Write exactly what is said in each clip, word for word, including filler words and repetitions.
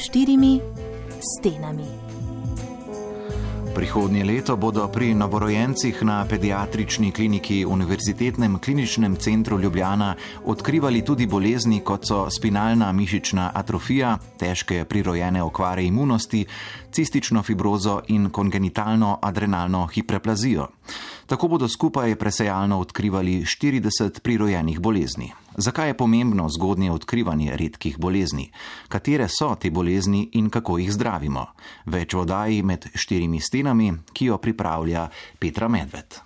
štirimi stenami. Prihodnje leto bodo pri novorojencih na pediatrični kliniki Univerzitetnem kliničnem centru Ljubljana odkrivali tudi bolezni, kot so spinalna mišična atrofija, težke prirojene okvare imunosti, cistično fibrozo in kongenitalno adrenalno hiperplazijo. Tako bodo skupaj presejalno odkrivali štirideset prirojenih bolezni. Zakaj je pomembno zgodnje odkrivanje redkih bolezni? Katere so te bolezni in kako jih zdravimo? Več v oddaji Med štirimi stenami, ki jo pripravlja Petra Medved.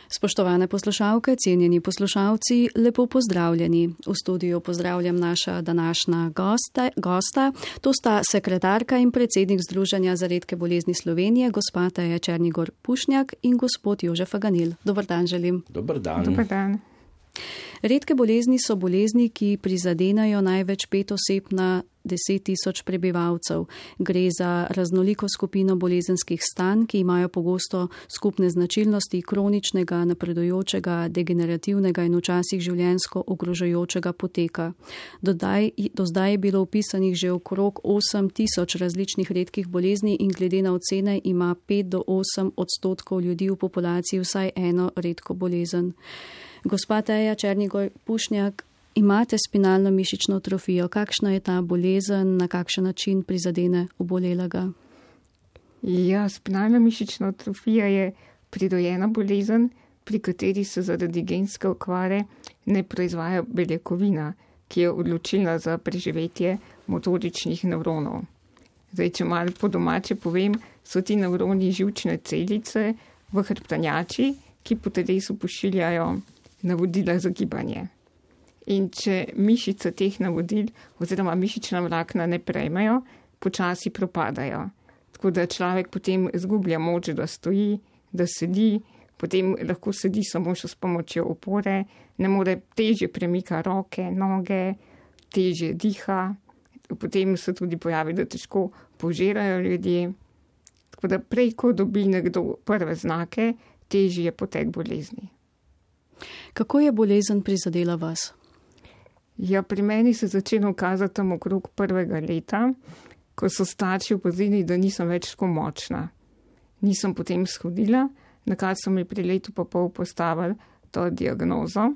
Spoštovane poslušalke, cenjeni poslušalci, lepo pozdravljeni. V studiu pozdravljam naša današnja gosta, gosta. To sta sekretarka in predsednik Združenja za redke bolezni Slovenije, gospa Teja Černigoj Pušnjak in gospod Jože Faganil. Dobar dan želim. Dobar dan. Dobar dan. Redke bolezni so bolezni, ki prizadenajo največ pet oseb na deset tisoč prebivalcev. Gre za raznoliko skupino bolezenskih stanj, ki imajo pogosto skupne značilnosti kroničnega, napredujočega, degenerativnega in včasih življenjsko ogrožajočega poteka. Dodaj, do zdaj je bilo opisanih že okrog osem tisoč različnih redkih bolezni in glede na ocene ima pet do osem odstotkov ljudi v populaciji vsaj eno redko bolezen. Gospa Teja Černigoj Pušnjak, imate spinalno mišično atrofijo. Kakšna je ta bolezen, na kakšen način prizadene obolelega? Ja, spinalna mišična atrofija je prirojena bolezen, pri kateri se zaradi genske okvare ne proizvaja beljakovina, ki je odločilna za preživetje motoričnih nevronov. Zdaj, če malo po domače povem, so ti nevroni živčne celice v hrbtenjači, ki po telesu pošiljajo navodila za gibanje. In če mišice teh navodil oziroma mišična vlakna ne prejmejo, počasi propadajo. Tako da človek potem izgublja moč, da stoji, da sedi, potem lahko sedi samo še s pomočjo opore, ne more težje premika roke, noge, težje diha, potem se tudi pojavi, da težko požirajo ljudje. Tako da prej, ko dobi nekdo prve znake, težji je potek bolezni. Kako je bolezen prizadela vas? Ja, pri meni se začelo kazati tam okrog prvega leta, ko so starši opazili, da nisem več tako močna. Nisem potem shodila, na kar so mi pri letu pa pol postavili to diagnozo.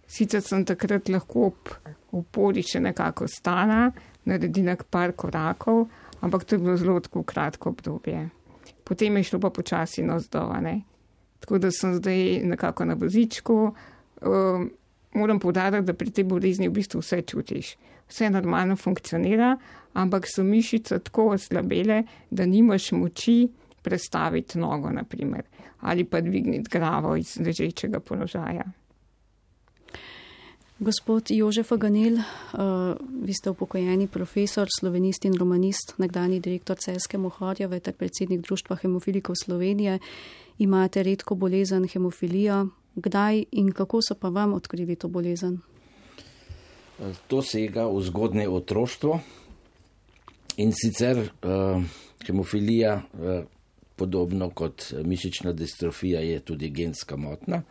Sicer sem takrat lahko ob opori še nekako stala, naredila par korakov, ampak to je bilo zelo tako kratko obdobje. Potem je šlo pa počasi navzdol, ne. Tako da sem zdaj nekako na vozičku. Um, moram poudariti, da pri tej bolezni v bistvu vse čutiš. Vse normalno funkcionira, ampak so mišice tako oslabele, da nimaš moči prestaviti nogo, naprimer, ali pa dvigniti glavo iz ležečega položaja. Gospod Jože Faganil, uh, vi ste upokojeni profesor, slovenist in romanist, nekdanji direktor Celjske Mohorjeve ter predsednik Društva hemofilikov Slovenije. Imate redko bolezen hemofilijo. Kdaj in kako so pa vam odkrili to bolezen? To sega v zgodnje otroštvo in sicer uh, hemofilija, uh, podobno kot mišična distrofija, je tudi genska motnja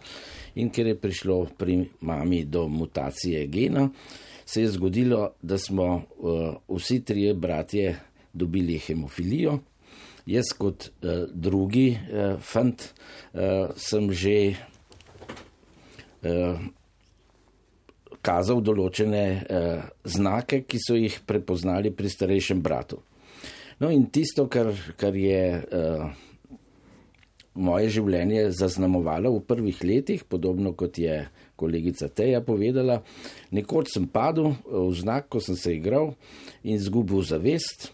in ker je prišlo pri mami do mutacije gena, se je zgodilo, da smo uh, vsi trije bratje dobili hemofilijo. Jaz kot uh, drugi uh, fant uh, sem že uh, kazal določene uh, znake, ki so jih prepoznali pri starejšem bratu. No in tisto, kar, kar je uh, moje življenje zaznamovalo v prvih letih, podobno kot je kolegica Teja povedala, nekoč sem padel v znak, ko sem se igral in izgubil zavest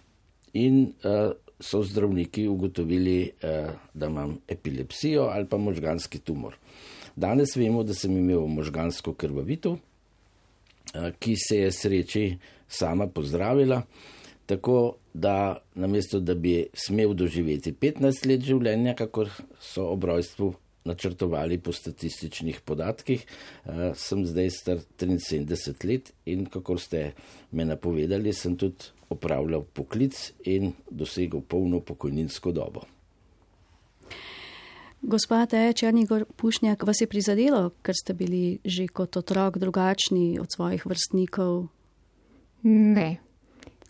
in uh, so zdravniki ugotovili, uh, da imam epilepsijo ali pa možganski tumor. Danes vemo, da sem imel možgansko krvavitev, uh, ki se je sreči sama pozdravila, tako da namesto, da bi smel doživeti petnajst let življenja, kakor so ob rojstvu načrtovali po statističnih podatkih, sem zdaj star triinsedemdeset let in kakor ste me napovedali, sem tudi opravljal poklic in dosegel polno pokojninsko dobo. Gospa Teja Černigoj Pušnjak, vas je prizadelo, ker ste bili že kot otrok drugačni od svojih vrstnikov? Ne.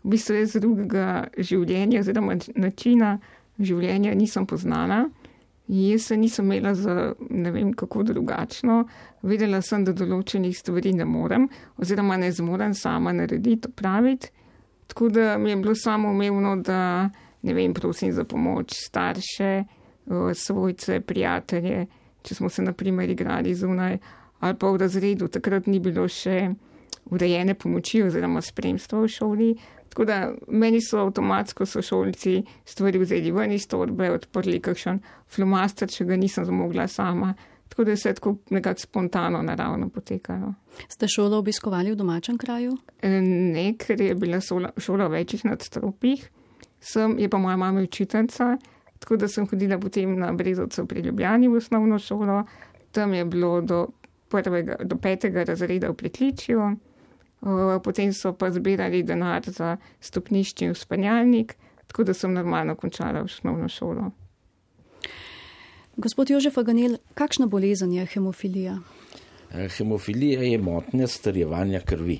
v bistvu jaz drugega življenja oziroma načina življenja nisem poznala. Jaz se nisem imela za ne vem kako drugačno. Vedela sem, da določenih stvari ne morem oziroma ne zmorem sama narediti, opraviti. Tako da mi je bilo samoumevno, da ne vem, prosim za pomoč starše, svojce, prijatelje, če smo se na primer igrali zunaj ali pa v razredu. Takrat ni bilo še urejene pomoči oziroma spremstva v šoli. Tako da meni so avtomatsko sošolci stvari vzeli ven iz torbe, odprli kakšen flomaster, če ga nisem zmogla sama. Tako da je vse tako nekako spontano, naravno potekalo. Ste šolo obiskovali v domačem kraju? Ne, ker je bila šola, šola v večjih nadstropjih. Sem, je pa moja mama učiteljica, tako da sem hodila potem na Brezovcu pri Ljubljani v osnovno šolo. Tam je bilo do, prvega, do petega razreda v pritličju. Potem so pa zbirali denar za stopnišče in vzpenjalnik, tako da sem normalno končala osnovno šolo. Gospod Jožef Faganel, kakšna bolezen je hemofilija? Hemofilija je motnja strjevanja krvi.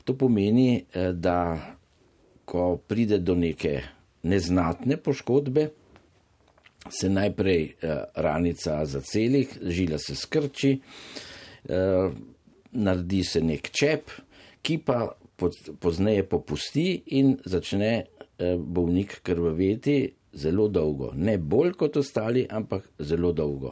To pomeni, da ko pride do neke neznatne poškodbe, se najprej ranica zaceli, žila se skrči, naredi se nek čep, ki pa pozneje popusti in začne bolnik krvaveti zelo dolgo. Ne bolj kot ostali, ampak zelo dolgo.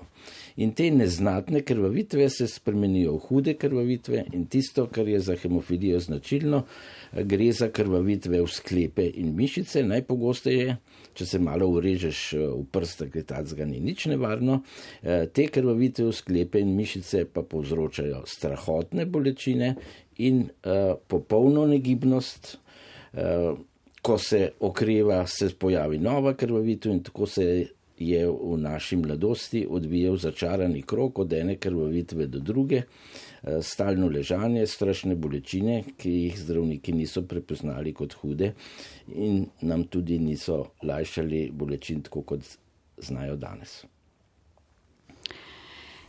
In te neznatne krvavitve se spremenijo v hude krvavitve in tisto, kar je za hemofilijo značilno, gre za krvavitve v sklepe in mišice. Najpogosteje, če se malo urežeš v prst, ker tacga ni nič nevarno, te krvavitve v sklepe in mišice pa povzročajo strahotne bolečine in uh, popolno negibnost. Uh, ko se okreva, se pojavi nova krvavitev in tako se je v naši mladosti odvijal začarani krog od ene krvavitve do druge, uh, stalno ležanje, strašne bolečine, ki jih zdravniki niso prepoznali kot hude in nam tudi niso lajšali bolečin tako, kot znajo danes.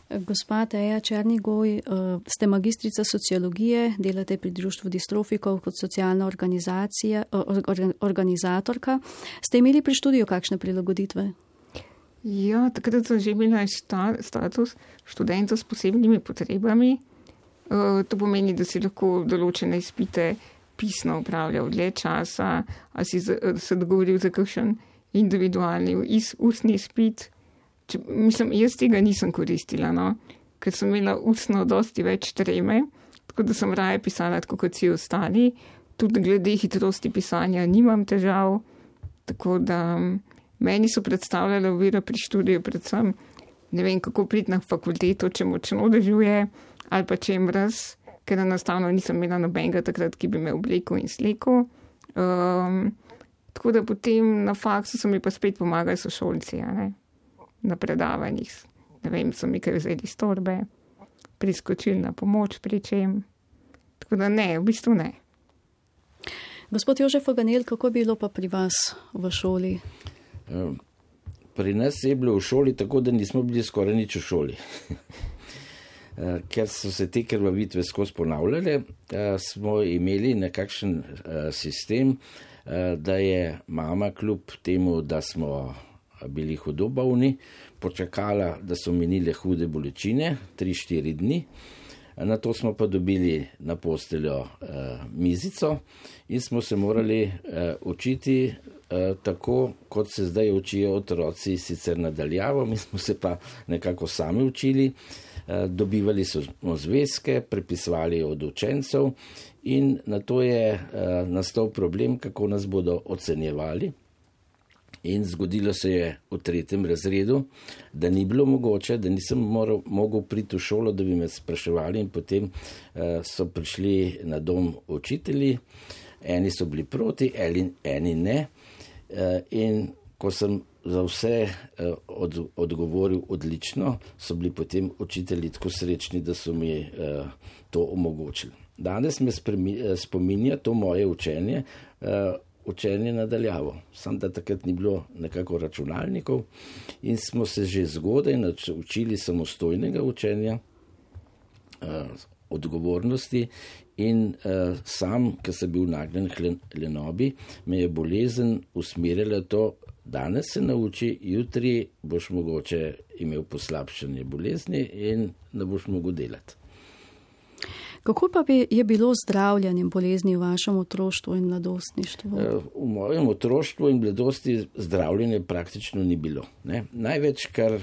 Gospa Teja Černigoj, ste magistrica sociologije, delate pri Društvu distrofikov kot socialna organizacija, organizatorka. Ste imeli pri študiju kakšne prilagoditve? Ja, takrat sem že imela status študenta s posebnimi potrebami. To pomeni, da si lahko določene izpite pisno upravljal dlje časa, a si se dogovoril za kakšen individualni ustni izpit. Če, mislim, jaz tega nisem koristila, no? Ker sem imela ustno dosti več treme, tako da sem raje pisala tako kot vsi ostali. Tudi glede hitrosti pisanja nimam težav, tako da meni so predstavljale ovire pri študiju predvsem, ne vem, kako priti na fakulteto, če močno dežuje ali pa če je mraz, ker enostavno nisem imela nobenega takrat, ki bi me oblekel in slekel. Um, tako da potem na faksu so mi pa spet pomagali sošolci, a ne? Na predavanjih, ne vem, so mi kaj vzeli iz torbe, priskočili na pomoč pri čem. Tako da ne, v bistvu ne. Gospod Jožef Faganel, kako bilo pa pri vas v šoli? Pri nas je bilo v šoli tako, da nismo bili skoraj nič v šoli. Ker so se te krvavitve skozi ponavljale, smo imeli nekakšen sistem, da je mama kljub temu, da smo bili hudo bolni, počakala, da so minile hude bolečine, tri štiri dni. Na to smo pa dobili na posteljo eh, mizico in smo se morali eh, učiti eh, tako, kot se zdaj učijo otroci, sicer nadaljavo, mi smo se pa nekako sami učili, eh, dobivali smo zvezke, prepisovali od učencev in na to je eh, nastal problem, kako nas bodo ocenjevali. In zgodilo se je v tretjem razredu, da ni bilo mogoče, da nisem moral, mogel priti v šolo, da bi me spraševali in potem uh, so prišli na dom učitelji, eni so bili proti, eni, eni ne. Uh, in ko sem za vse uh, od, odgovoril odlično, so bili potem učitelji tako srečni, da so mi uh, to omogočili. Danes me spremi, uh, spominja to moje učenje, uh, učenje nadaljavo. Sam da takrat ni bilo nekako računalnikov in smo se že zgodaj učili samostojnega učenja. odgovornosti in uh, sam, ki sem bil nagnjen k lenobi, me je bolezen usmerila to, danes se nauči, jutri boš mogoče imel poslabšanje bolezni in ne boš mogel delati. Kako pa bi je bilo zdravljenje bolezni v vašem otroštvu in mladostništvu? V mojem otroštvu in mladosti zdravljenje praktično ni bilo. Ne? Največ, kar uh,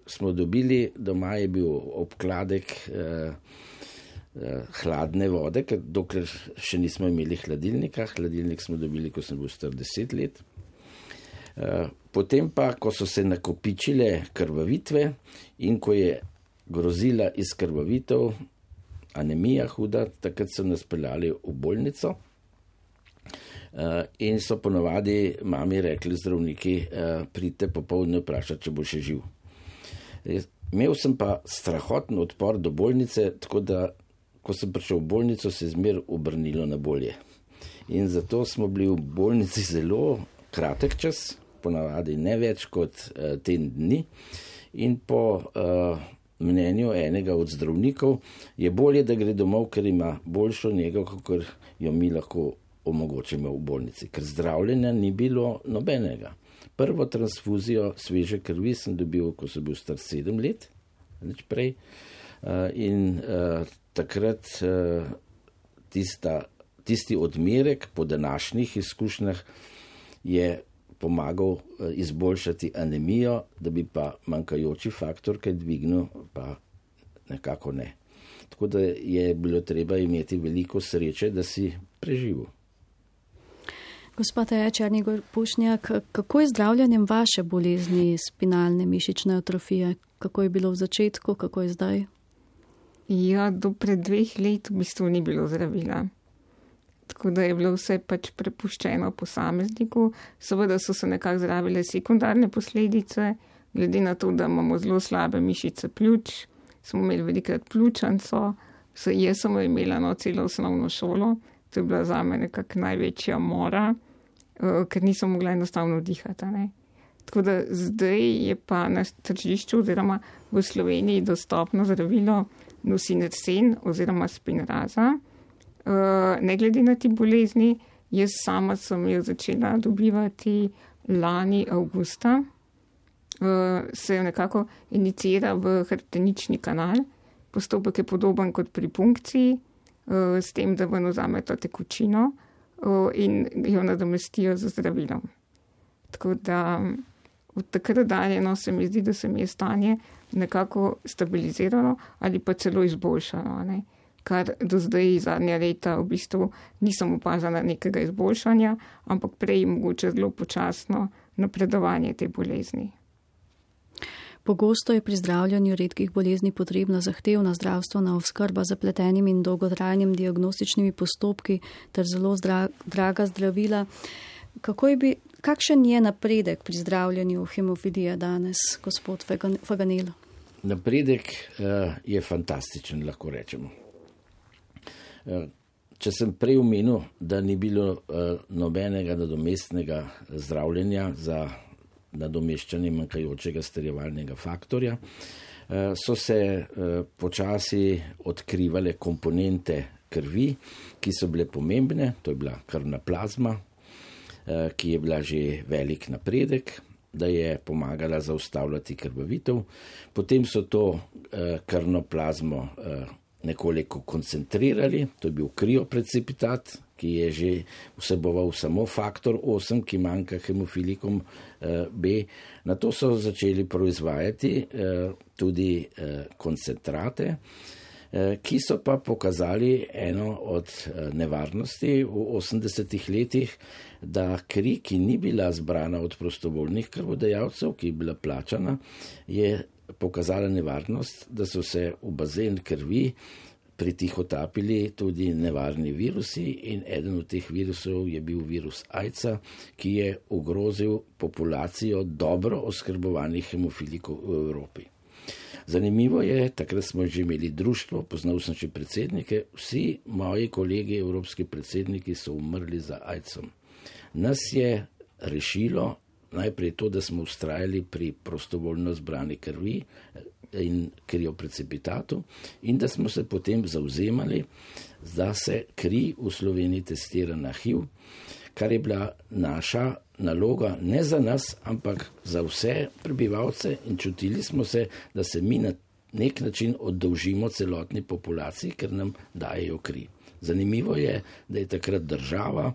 smo dobili doma, je bil obkladek uh, uh, hladne vode, ker dokler še nismo imeli hladilnika. Hladilnik smo dobili, ko sem bil star deset let. Uh, potem pa, ko so se nakopičile krvavitve in ko je grozila iz krvavitev, anemija huda, takrat so nas peljali v bolnico uh, in so ponovadi mami rekli zdravniki, uh, pridite popoldne vprašati, če bo še živ. Imel sem pa strahoten odpor do bolnice, tako da, ko sem prišel v bolnico, se je zmer obrnilo na bolje. In zato smo bili v bolnici zelo kratek čas, ponavadi ne več kot uh, teden dni in po uh, mnenju enega od zdravnikov je bolje, da gre domov, ker ima boljšo nego, kot jo mi lahko omogočimo v bolnici, ker zdravljenja ni bilo nobenega. Prvo transfuzijo sveže krvi sem dobil, ko sem bil star sedem let, nič prej, in uh, takrat uh, tista, tisti odmerek po današnjih izkušnjah je pomagal izboljšati anemijo, da bi pa manjkajoči faktor kaj dvignil, pa nekako ne. Tako da je bilo treba imeti veliko sreče, da si preživel. Gospod Taja Černigoj Pušnjak, kako je zdravljenjem vaše bolezni spinalne mišične atrofije? Kako je bilo v začetku, kako je zdaj? Ja, do pred dveh let v bistvu ni bilo zdravila. Tako da je bilo vse pač prepuščeno posamezniku. Seveda so se nekako zdravile sekundarne posledice, glede na to, da imamo zelo slabe mišice pljuč, smo imeli velikrat pljučanco, jaz sem imela no celo osnovno šolo, to je bila zame nekako največja mora, ker nisem mogla enostavno dihati. Ne? Tako da zdaj je pa na tržišču oziroma v Sloveniji dostopno zdravilo Nusinersen oziroma Spinraza. Uh, ne glede na ti bolezni, jaz sama sem jo začela dobivati lani avgusta, uh, se jo nekako inicira v hrbtenični kanal, postopek je podoben kot pri punkciji, uh, s tem, da ven vzameta tekočino uh, in jo nadomestijo z zdravilom. Tako da od takrat dalje no, se mi zdi, da se mi je stanje nekako stabiliziralo ali pa celo izboljšalo, ne? Kar do zdaj zadnja leta v bistvu nisem opazila nekega izboljšanja, ampak prej mogoče zelo počasno napredovanje te bolezni. Pogosto je pri zdravljanju redkih bolezni potrebna zahtevna zdravstvena oskrba z zapletenimi in dolgotrajnimi diagnostičnimi postopki ter zelo zdra, draga zdravila. Kako je bi, kakšen je napredek pri zdravljanju hemofilije danes, gospod Faganel? Napredek uh, je fantastičen, lahko rečemo. Če sem prej omenil, da ni bilo uh, nobenega nadomestnega zdravljenja za nadomeščanje manjkajočega strjevalnega faktorja, uh, so se uh, počasi odkrivale komponente krvi, ki so bile pomembne, to je bila krvna plazma, uh, ki je bila že velik napredek, da je pomagala zaustavljati krvavitev. Potem so to uh, krvno plazmo uh, nekoliko koncentrirali, to je bil kriopreciptat, ki je že vseboval samo faktor osem, ki manjka hemofilikom B. Na to so začeli proizvajati tudi koncentrate, ki so pa pokazali eno od nevarnosti v osemdesetih letih, da kri, ki ni bila zbrana od prostovoljnih krvodajalcev, ki je bila plačana, je pokazala nevarnost, da so se v bazen krvi pritihotapili tudi nevarni virusi in eden od teh virusov je bil virus AIDS-a, ki je ogrozil populacijo dobro oskrbovanih hemofilikov v Evropi. Zanimivo je, takrat smo že imeli društvo, poznal sem še predsednike, vsi moji kolegi, evropski predsedniki so umrli za AIDS-om. Nas je rešilo najprej to, da smo ustrajali pri prostovoljno zbrani krvi, in krioprecipitatu in da smo se potem zauzemali, da se kri v Sloveniji testira na H I V, kar je bila naša naloga ne za nas, ampak za vse prebivalce in čutili smo se, da se mi na nek način oddolžimo celotni populaciji, ker nam dajejo kri. Zanimivo je, da je takrat država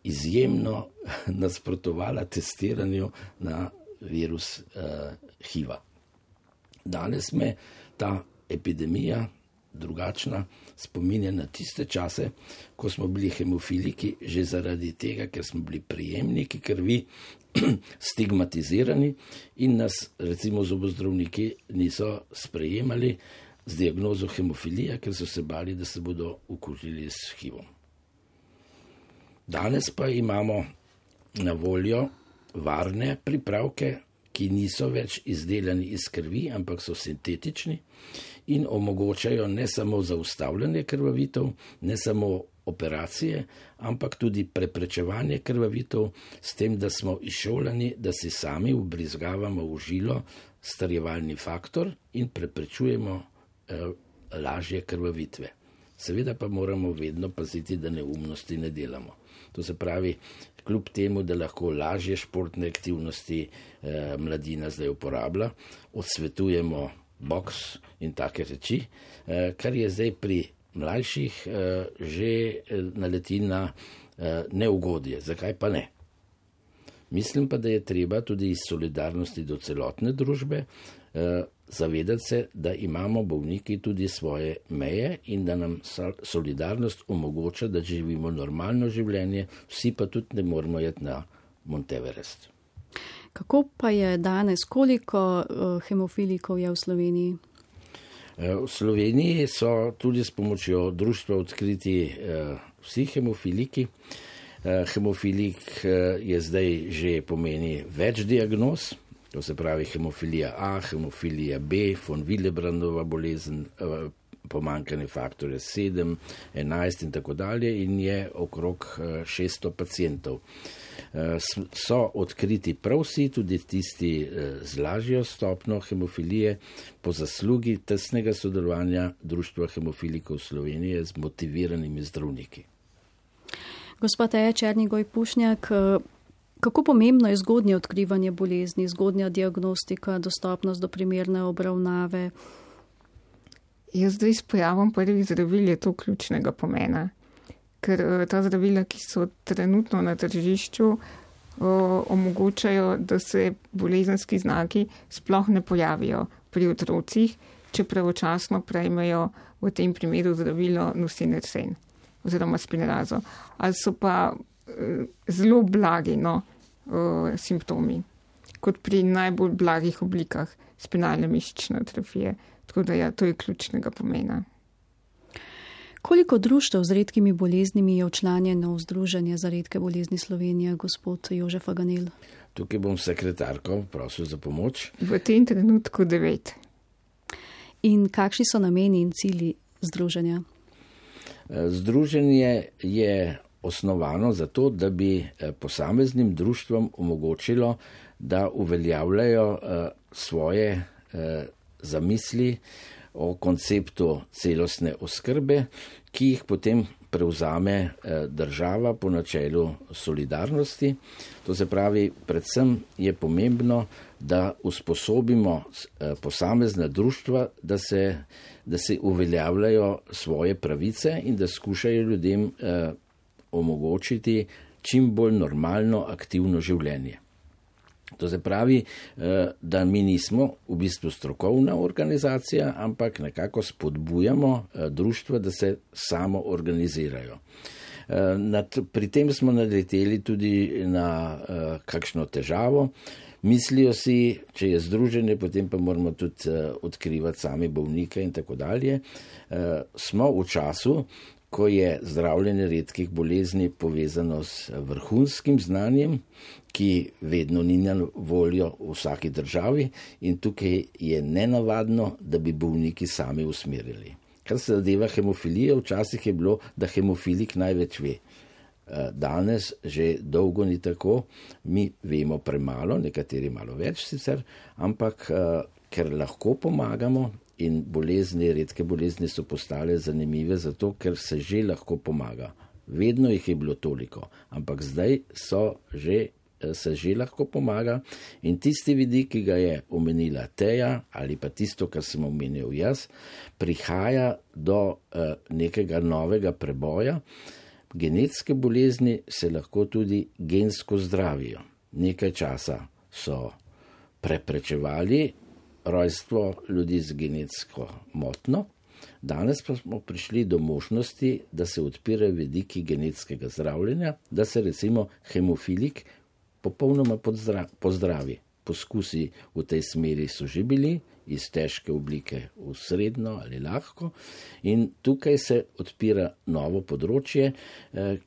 izjemno nasprotovala testiranju na virus uh, H I V-a. Danes me ta epidemija drugačna spominja na tiste čase, ko smo bili hemofiliki že zaradi tega, ker smo bili prijemniki krvi stigmatizirani in nas recimo zobozdravniki niso sprejemali z diagnozo hemofilija, ker so se bali, da se bodo okužili s H I V-om. Danes pa imamo na voljo varne pripravke, ki niso več izdelani iz krvi, ampak so sintetični in omogočajo ne samo zaustavljanje krvavitev, ne samo operacije, ampak tudi preprečevanje krvavitev s tem, da smo izšolani, da si sami vbrizgavamo v žilo starjevalni faktor in preprečujemo eh, lažje krvavitve. Seveda pa moramo vedno paziti, da neumnosti ne delamo. To se pravi, kljub temu, da lahko lažje športne aktivnosti eh, mladina zdaj uporablja, odsvetujemo boks in take reči, eh, kar je zdaj pri mlajših eh, že naleti na eh, neugodje. Zakaj pa ne? Mislim pa, da je treba tudi iz solidarnosti do celotne družbe eh, zavedati se, da imamo bolniki tudi svoje meje in da nam solidarnost omogoča, da živimo normalno življenje, vsi pa tudi ne moramo jeti na Monteverest. Kako pa je danes, koliko uh, hemofilikov je v Sloveniji? V Sloveniji so tudi s pomočjo društva odkriti uh, vsi hemofiliki. Uh, hemofilik uh, je zdaj že pomeni več diagnoz. To se pravi hemofilija A, hemofilija B, von Willebrandova bolezen, pomanjkanje faktorja sedem, enajst in tako dalje in je okrog šeststo pacientov. So odkriti prav vsi, tudi tisti z lažjo stopnjo hemofilije, po zaslugi tesnega sodelovanja Društva hemofilikov Slovenije z motiviranimi zdravniki. Gospod Teja Černigoj Pušnjak, kako pomembno je zgodnje odkrivanje bolezni, zgodnja diagnostika, dostopnost do primerne obravnave? Jaz zdaj s pojavom prvih zdravil je to ključnega pomena, ker ta zdravila, ki so trenutno na tržišču, omogočajo, da se bolezenski znaki sploh ne pojavijo pri otrocih, če pravočasno prejmejo v tem primeru zdravilo nusinersen oziroma spinrazo. Ali so pa zelo blagi no, uh, simptomi, kot pri najbolj blagih oblikah spinalne mišične atrofije. Tako da ja, to je ključnega pomena. Koliko društev z redkimi boleznimi je včlanjeno v Združenje za redke bolezni Slovenije, gospod Jožef Faganel? Tukaj bom sekretarko prosil za pomoč. V tem trenutku devet. In kakšni so nameni in cilji združenja? Združenje je osnovano zato, da bi posameznim društvom omogočilo, da uveljavljajo svoje zamisli o konceptu celostne oskrbe, ki jih potem prevzame država po načelu solidarnosti. To se pravi, predvsem je pomembno, da usposobimo posamezna društva, da se, da se uveljavljajo svoje pravice in da skušajo ljudem omogočiti čim bolj normalno, aktivno življenje. To se pravi, da mi nismo v bistvu strokovna organizacija, ampak nekako spodbujamo društva, da se samo organizirajo. Pri tem smo naleteli tudi na kakšno težavo. Mislijo si, če je združenje, potem pa moramo tudi odkrivati sami bolnike in tako dalje. Smo v času, ko je zdravljenje redkih bolezni povezano s vrhunskim znanjem, ki vedno ni na voljo v vsaki državi in tukaj je nenavadno, da bi bolniki sami usmerili. Kar se zadeva hemofilije, včasih je bilo, da hemofilik največ ve. Danes že dolgo ni tako, mi vemo premalo, nekateri malo več sicer, ampak ker lahko pomagamo in bolezni, redke bolezni so postale zanimive zato, ker se že lahko pomaga. Vedno jih je bilo toliko, ampak zdaj so že, se že lahko pomaga in tisti vidik, ki ga je omenila Teja ali pa tisto, kar sem omenil jaz, prihaja do uh, nekega novega preboja. Genetske bolezni se lahko tudi gensko zdravijo. Nekaj časa so preprečevali rojstvo ljudi z genetsko motnjo, danes pa smo prišli do možnosti, da se odpirajo vidiki genetskega zdravljenja, da se recimo hemofilik popolnoma pozdravi. Poskusi v tej smeri so že bili, iz težke oblike v srednjo ali lahko in tukaj se odpira novo področje,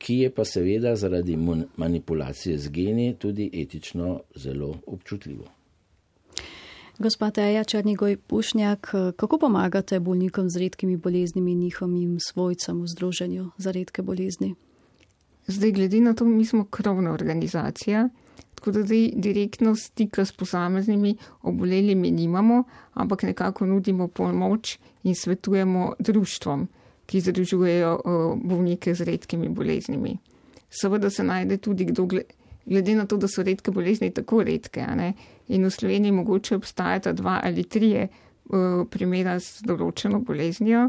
ki je pa seveda zaradi manipulacije z geni tudi etično zelo občutljivo. Gospa Teja Černigoj Pušnjak, kako pomagate bolnikom z redkimi boleznimi in njihovim svojcem v Združenju za redke bolezni? Zdaj, glede na to, mi smo krovna organizacija, tako da zdaj direktno stika s posameznimi obolelimi nimamo, ampak nekako nudimo pomoč in svetujemo društvom, ki združujejo bolnike z redkimi boleznimi. Seveda se najde tudi kdo, glede na to, da so redke bolezni tako redke, a ne? In v Sloveniji mogoče obstajata dva ali trije uh, primera z določeno boleznijo,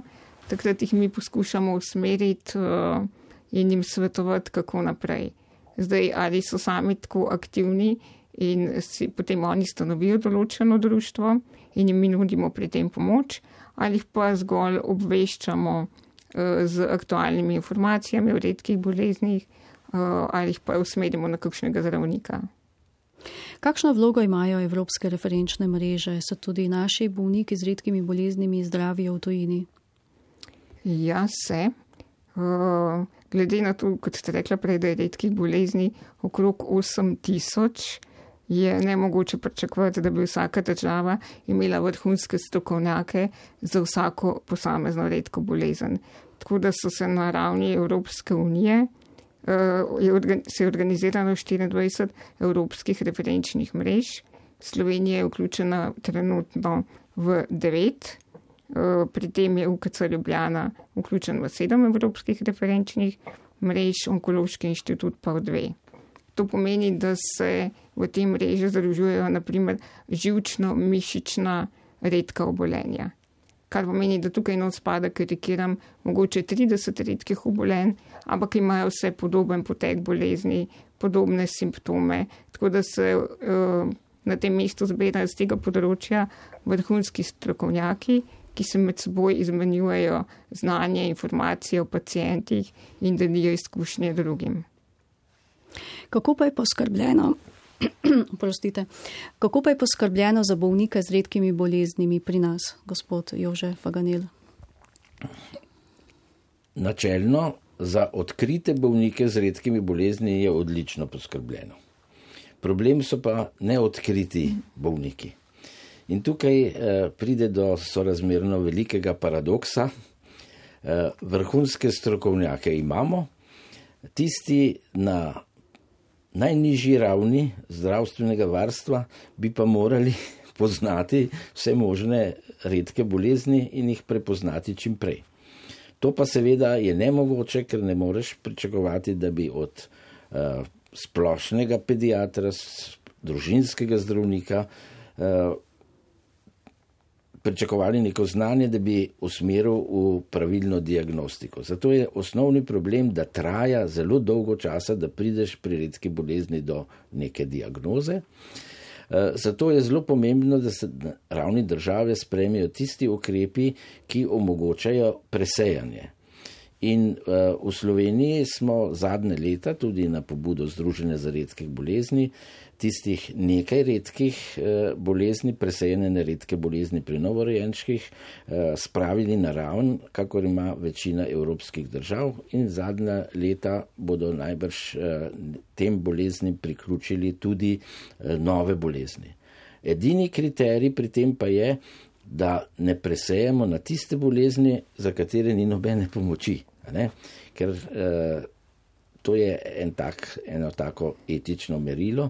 takrat jih mi poskušamo usmeriti uh, in jim svetovati, kako naprej. Zdaj, ali so sami tako aktivni in si potem oni stanovijo določeno društvo in jim mi nudimo pri tem pomoč, ali jih pa zgolj obveščamo uh, z aktualnimi informacijami o redkih boleznih, uh, ali jih pa usmerimo na kakšnega zdravnika. Kakšno vlogo imajo evropske referenčne mreže? So tudi naši bolniki z redkimi boleznimi zdravijo v tujini? Ja, se. Uh, glede na to, kot ste rekla prej, da je redkih bolezni okrog osem tisoč, je nemogoče pričakovati, da bi vsaka država imela vrhunske strokovnjake za vsako posamezno redko bolezen. Tako da so se na ravni Evropske unije Je, se je organizirano štiriindvajset evropskih referenčnih mrež. Slovenija je vključena trenutno v devet, pri tem je U K C Ljubljana vključen v sedem evropskih referenčnih mrež, Onkološki inštitut pa v dve. To pomeni, da se v tem mreži združujejo naprimer živčno-mišična redka obolenja. Kar pomeni, da tukaj not spada, karikiram, mogoče trideset redkih obolenj, ampak imajo vse podoben potek bolezni, podobne simptome, tako da se uh, na tem mestu zbirajo z tega področja vrhunski strokovnjaki, ki se med seboj izmenjujejo znanje, informacije o pacijentih in delijo izkušnje drugim. Kako pa je poskrbljeno? Prostite. Kako pa je poskrbljeno za bolnike z redkimi boleznimi pri nas, gospod Jože Faganel? Načelno za odkrite bolnike z redkimi bolezni je odlično poskrbljeno. Problem so pa neodkriti bolniki. In tukaj eh, pride do sorazmerno velikega paradoksa. Eh, vrhunske strokovnjake imamo, tisti na najnižji ravni zdravstvenega varstva bi pa morali poznati vse možne redke bolezni in jih prepoznati čim prej. To pa seveda je nemogoče, ker ne moreš pričakovati, da bi od uh, splošnega pediatra, družinskega zdravnika uh, pričakovali neko znanje, da bi usmeril v pravilno diagnostiko. Zato je osnovni problem, da traja zelo dolgo časa, da prideš pri redki bolezni do neke diagnoze. Zato je zelo pomembno, da se na ravni države sprejmejo tisti ukrepi, ki omogočajo presejanje. In uh, v Sloveniji smo zadnje leta, tudi na pobudo Združenja za redke bolezni, tistih nekaj redkih uh, bolezni, presejene na redke bolezni pri novorojenčkih, uh, spravili na raven, kakor ima večina evropskih držav, in zadnja leta bodo najbrž uh, tem boleznim priključili tudi uh, nove bolezni. Edini kriterij pri tem pa je, da ne presejemo na tiste bolezni, za katere ni nobene pomoči. Ne? Ker eh, to je en tak, eno tako etično merilo.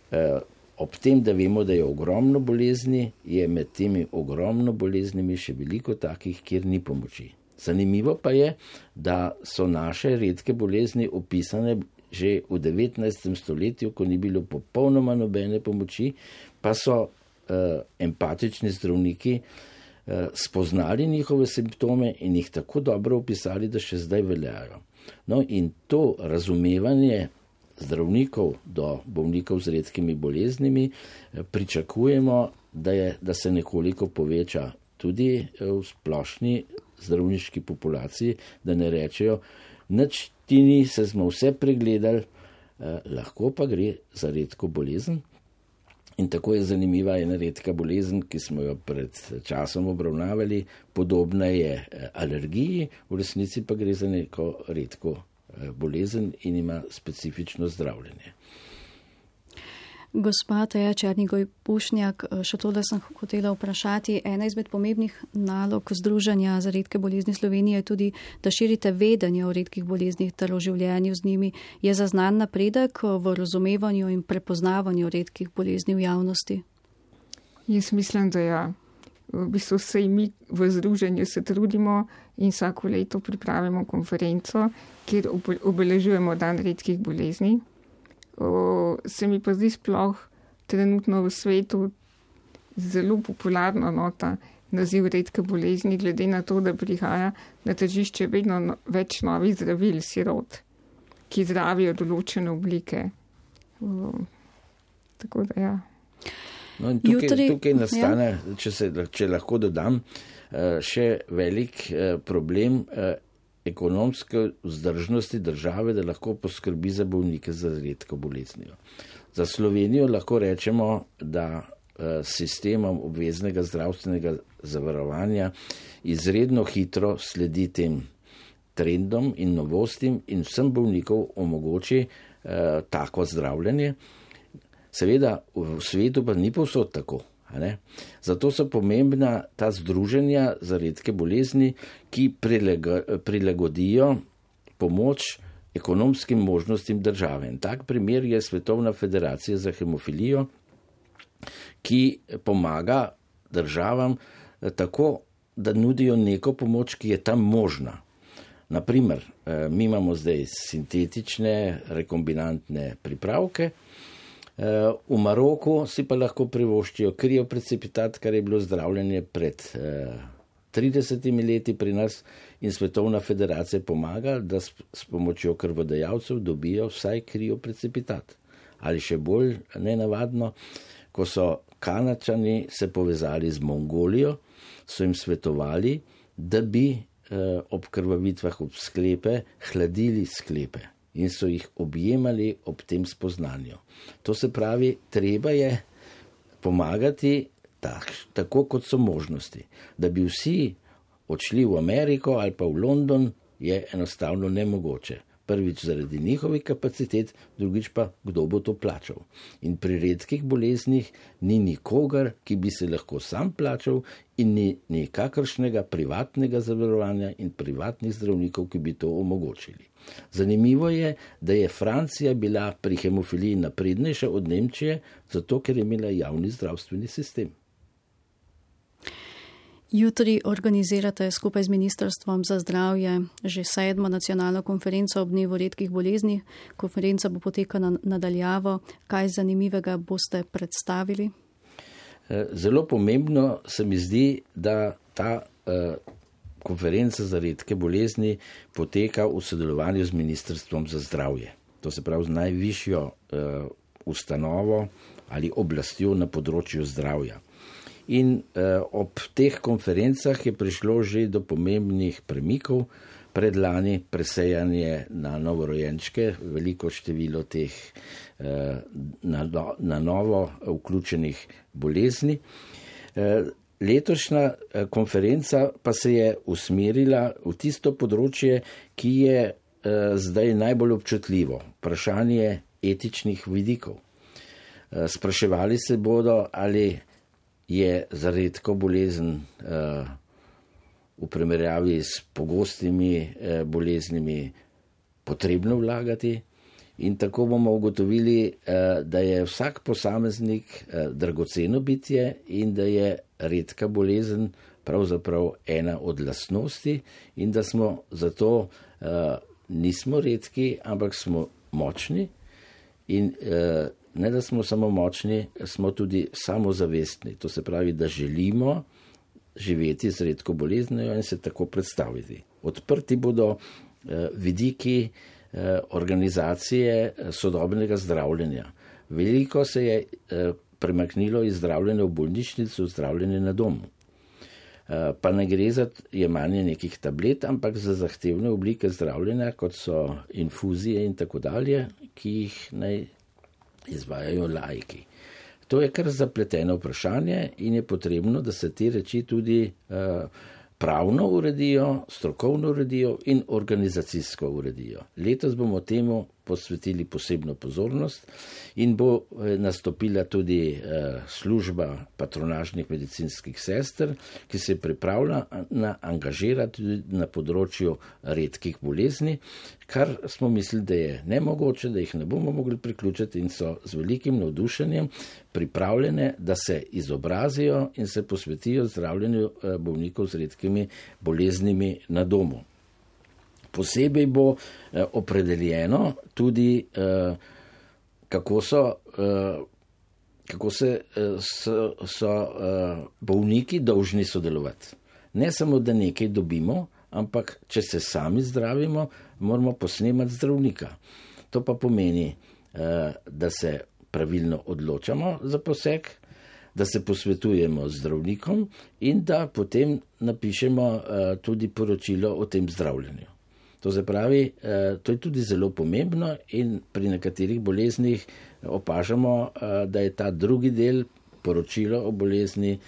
Eh, ob tem, da vemo, da je ogromno bolezni, je med temi ogromno boleznimi še veliko takih, kjer ni pomoči. Zanimivo pa je, da so naše redke bolezni opisane že v devetnajstem stoletju, ko ni bilo popolnoma nobene pomoči, pa so uh, empatični zdravniki uh, spoznali njihove simptome in jih tako dobro opisali, da še zdaj veljajo. No in to razumevanje zdravnikov do bolnikov z redkimi boleznimi pričakujemo, da, je, da se nekoliko poveča tudi v splošni zdravniški populaciji, da ne rečejo, nič ti ni, se smo vse pregledali, eh, lahko pa gre za redko bolezen. In tako je zanimiva ena redka bolezen, ki smo jo pred časom obravnavali, podobna je alergiji, v resnici pa gre za neko redko bolezen in ima specifično zdravljenje. Gospa Teja Černigoj Pušnjak, še tole sem hotela vprašati. Ena izmed pomembnih nalog Združenja za redke bolezni Slovenije je tudi, da širite vedenje o redkih boleznih ter o življenju z njimi. Je zaznan napredek v razumevanju in prepoznavanju redkih bolezni v javnosti? Jaz mislim, da ja. V bistvu se mi v združenju se trudimo in vsako leto pripravimo konferenco, kjer obeležujemo dan redkih bolezni. O, se mi pa zdi sploh trenutno v svetu zelo popularno nota naziv redke bolezni, glede na to, da prihaja na tržišče vedno no, več novih zdravil, sirot, ki zdravijo določene oblike. O, tako da ja. No in tukaj, Jutri, tukaj nastane, ja. če, se, če lahko dodam, še velik problem ekonomske vzdržnosti države, da lahko poskrbi za bolnike z redko boleznijo. Za Slovenijo lahko rečemo, da sistemom obveznega zdravstvenega zavarovanja izredno hitro sledi tem trendom in novostim in vsem bolnikov omogoči eh, tako zdravljenje. Seveda v svetu pa ni povsod tako. Ne? Zato so pomembna ta združenja za redke bolezni, ki prilagodijo pomoč ekonomskim možnostim države. In tak primer je Svetovna federacija za hemofilijo, ki pomaga državam tako, da nudijo neko pomoč, ki je tam možna. Naprimer, mi imamo zdaj sintetične rekombinantne pripravke, v Maroku si pa lahko privoščijo krioprecipitat, kar je bilo zdravljenje pred tridesetimi leti pri nas in Svetovna federacija pomaga, da s, s pomočjo krvodajalcev dobijo vsaj krioprecipitat. Ali še bolj nenavadno, ko so Kanačani se povezali z Mongolijo, so jim svetovali, da bi eh, ob krvavitvah ob sklepe hladili sklepe in so jih objemali ob tem spoznanju. To se pravi, treba je pomagati tak, tako, kot so možnosti. Da bi vsi odšli v Ameriko ali pa v London, je enostavno nemogoče. Prvič zaradi njihovih kapacitet, drugič pa, kdo bo to plačal. In pri redkih boleznih ni nikogar, ki bi se lahko sam plačal in ni nikakršnega privatnega zavarovanja in privatnih zdravnikov, ki bi to omogočili. Zanimivo je, da je Francija bila pri hemofiliji naprednejša od Nemčije, zato ker je imela javni zdravstveni sistem. Jutri organizirate skupaj z Ministrstvom za zdravje že sedmo nacionalno konferenco ob dnevu redkih bolezni. Konferenca bo potekala nadaljavo. Kaj zanimivega boste predstavili? Zelo pomembno se mi zdi, da ta uh, konferenca za redke bolezni poteka v sodelovanju z Ministrstvom za zdravje. To se pravi z najvišjo uh, ustanovo ali oblastjo na področju zdravja. In eh, ob teh konferencah je prišlo že do pomembnih premikov, predlani presejanje na novorojenčke, veliko število teh eh, na, na novo vključenih bolezni. Eh, letošnja eh, konferenca pa se je usmerila v tisto področje, ki je eh, zdaj najbolj občutljivo, vprašanje etičnih vidikov. Eh, spraševali se bodo, ali je za redko bolezen uh, v primerjavi s pogostimi uh, boleznimi potrebno vlagati, In tako bomo ugotovili, da je vsak posameznik dragoceno bitje in da je redka bolezen pravzaprav ena od lastnosti in da smo zato nismo redki, ampak smo močni in ne da smo samo močni, smo tudi samozavestni. To se pravi, da želimo živeti z redko boleznijo in se tako predstaviti. Odprti bodo vidiki organizacije sodobnega zdravljenja. Veliko se je premaknilo iz zdravljenja v bolnišnico v zdravljenje na domu. Pa ne gre za jemanje nekih tablet, ampak za zahtevne oblike zdravljenja, kot so infuzije in tako dalje, ki jih naj izvajajo laiki. To je kar zapleteno vprašanje in je potrebno, da se te reči tudi pravno uredijo, strokovno uredijo in organizacijsko uredijo. Letos bomo temu posvetili posebno pozornost in bo nastopila tudi služba patronažnih medicinskih sester, ki se pripravlja na angažirati tudi na področju redkih bolezni, kar smo mislili, da je nemogoče, da jih ne bomo mogli priključiti in so z velikim navdušenjem pripravljene, da se izobrazijo in se posvetijo zdravljenju bolnikov z redkimi boleznimi na domu. Posebej bo eh, opredeljeno tudi, eh, kako so, eh, kako se, eh, so, so eh, bolniki dolžni sodelovati. Ne samo, da nekaj dobimo, ampak če se sami zdravimo, moramo posnemati zdravnika. To pa pomeni, eh, da se pravilno odločamo za poseg, da se posvetujemo z zdravnikom in da potem napišemo eh, tudi poročilo o tem zdravljenju. To se pravi, to je tudi zelo pomembno in pri nekaterih boleznih opažamo, da je ta drugi del poročilo o bolezni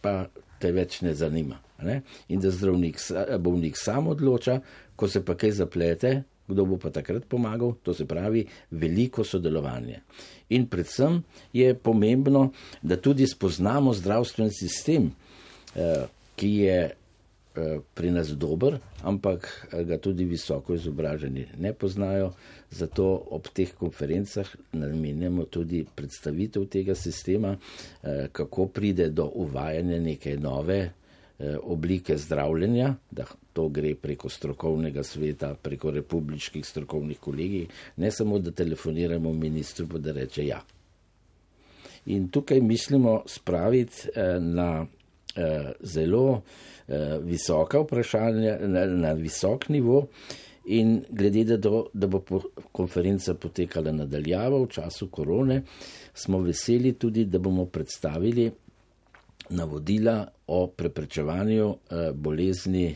pa te več ne zanima. Ne? In da zdravnik, bolnik sam odloča, ko se pa kaj zaplete, kdo bo pa takrat pomagal, to se pravi veliko sodelovanje. In predvsem je pomembno, da tudi spoznamo zdravstveni sistem, ki je pri nas dober, ampak ga tudi visoko izobraženi ne poznajo, zato ob teh konferencah namenjamo tudi predstavitev tega sistema, kako pride do uvajanja neke nove oblike zdravljenja, da to gre preko strokovnega sveta, preko republiških strokovnih kolegij, ne samo, da telefoniramo ministru, pa da reče ja. In tukaj mislimo spraviti na zelo visoka vprašanja, na, na visok nivo in glede, da, do, da bo konferenca potekala nadaljavo v času korone, smo veseli tudi, da bomo predstavili navodila o preprečevanju eh, bolezni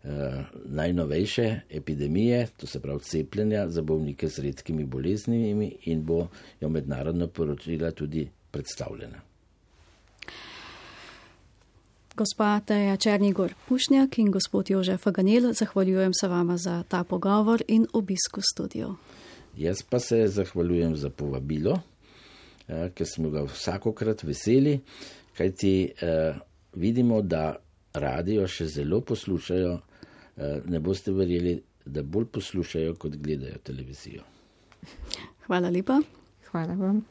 eh, najnovejše epidemije, to se pravi cepljenja za bolnike z redkimi boleznimi in bo jo mednarodno poročila tudi predstavljena. Gospa Teja Černigoj Pušnjak in gospod Jožef Faganel, zahvaljujem se vama za ta pogovor in obisk v studiu. Jaz pa se zahvaljujem za povabilo, eh, ker smo ga vsakokrat veseli, kajti eh, vidimo, da radio še zelo poslušajo, eh, ne boste verjeli, da bolj poslušajo, kot gledajo televizijo. Hvala lepa. Hvala vam.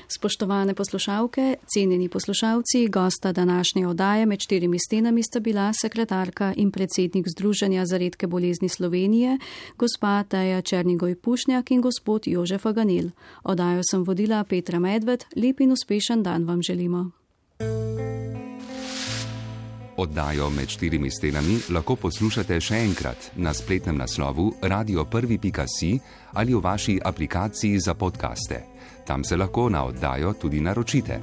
Spoštovane poslušalke, cenjeni poslušalci, gosta današnje oddaje Med štirimi stenami sta bila sekretarka in predsednik Združenja za redke bolezni Slovenije, gospa Teja Černigoj Pušnjak in gospod Jožef Faganel. Oddajo sem vodila Petra Medved, lep in uspešen dan vam želimo. Oddajo Med štirimi stenami lahko poslušate še enkrat na spletnem naslovu radio prvi pika si ali v vaši aplikaciji za podcaste. Tam se lahko na oddajo tudi naročite.